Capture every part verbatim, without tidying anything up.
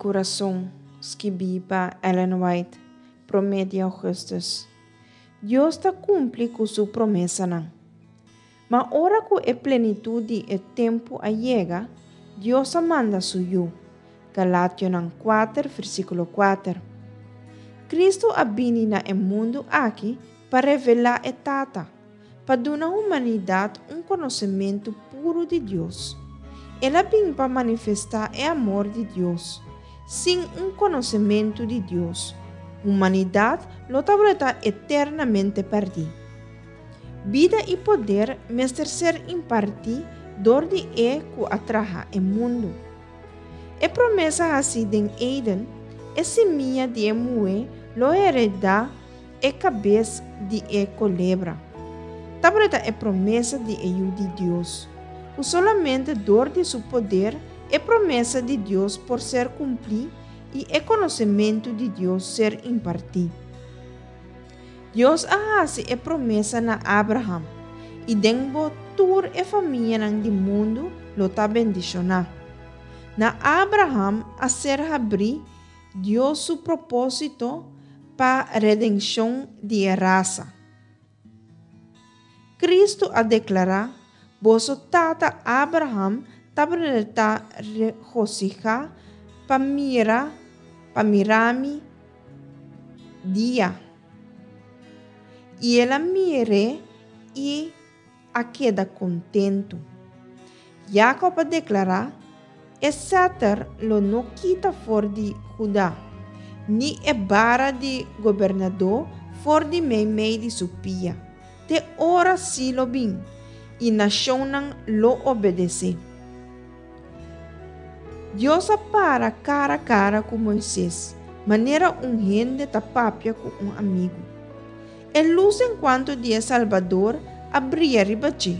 kurason, skibí pa Ellen White, promé di ougùstùs. Dios ta kumpli ku su promesanan. Ma ora ku e plenitut di e tempu a yega, Dios a manda su Yu. Galationan kuater, versíkulo kuater. Kristu a bini na e mundu aki pa revelá e Tata, pa duna humanidat un konosementu puru di Dios. El a bin pa manifestá e amor di Dios. Sin un konosementu di Dios, humanidat lo tabata eternamente pèrdí. Bida i poder mester ser impartí dor di e ku a traha e mundu. E promesa hasí den Eden, e simia di e muhé lo heredá e kabes di e kolebra, tabata e promesa di e Yu di Dios, ku solamente dor di su poder e promesa di Dios por ser kumplí i e konosementu di Dios ser impartí. Dios a hasi e promesa na Abraham, i den bo tur e famianan di mundu lo ta bendishoná. Na Abraham a ser habrí Dios su propósito pa redenshon di e rasa. Kristu a deklará, Boso tata Abraham tabata regosihá pa mira pa mira mi dia. I el a mir'é i a keda kontentu. Jakob a deklará, E sèter lo no kita for di Huda, ni e bara di gobernadó for di meimei di su pia, te ora Silo bin, i nashonnan lo obedes'é. Dios a para kara kara ku Moises, manera un hende ta papia ku un amigu. E lus enkuanto di e Salbador a bria riba dje.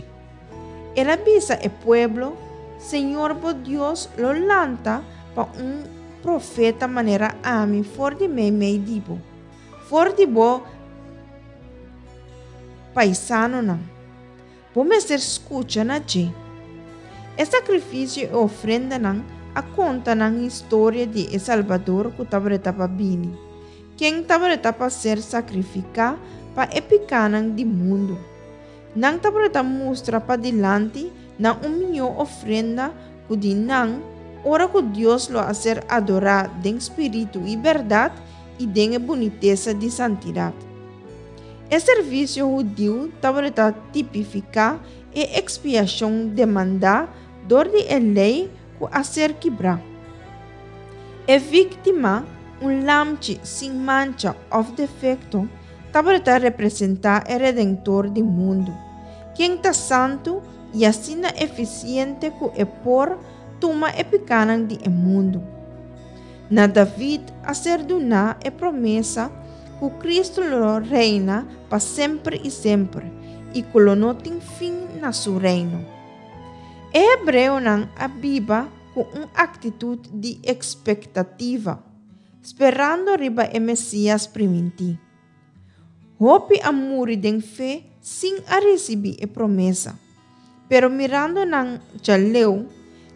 El a bisa e pueblo, Señor bo Dios lo lanta pa un profeta manera ami for di meimei di bo, for di bo paisanonan. Bo mester skucha na dje. E sakrifisio i ofrendanan a konta nan historia di e Salbador ku tabata pa bini, ken tabata pa ser sakrifiká pa e pikánan di mundu. Nan tabata mustra padilanti na un mihó ofrenda ku di nan, ora ku Dios lo a ser adorá den spiritu i bèrdat i den e bunitesa di santidat. E servisio hudiu tabata tipifiká e ekspiashon demandá dor di e lei ku a ser kibrá. E víktima, un lamchi sin mancha òf defekto, tabata representá e Redentor di mundu, ken ta santu i asina efisiente ku e por tuma e pikánan di e mundu. Na David a ser duná e promesa ku Kristu lo reina pa semper i semper i ku lo no tin fin na su reino. E hebreonan a biba ku un aktitut di ekspektativa, sperando riba e Mesias primintí. Hopi a muri den fe sin a risibí e promesa, pero mirando nan djaleu,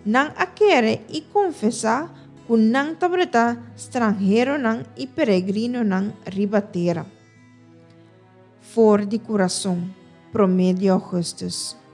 nan a kere i konfesá ku nan tabata stranheronan i peregrinonan riba tera. For di kurason, promé di ougùstùs.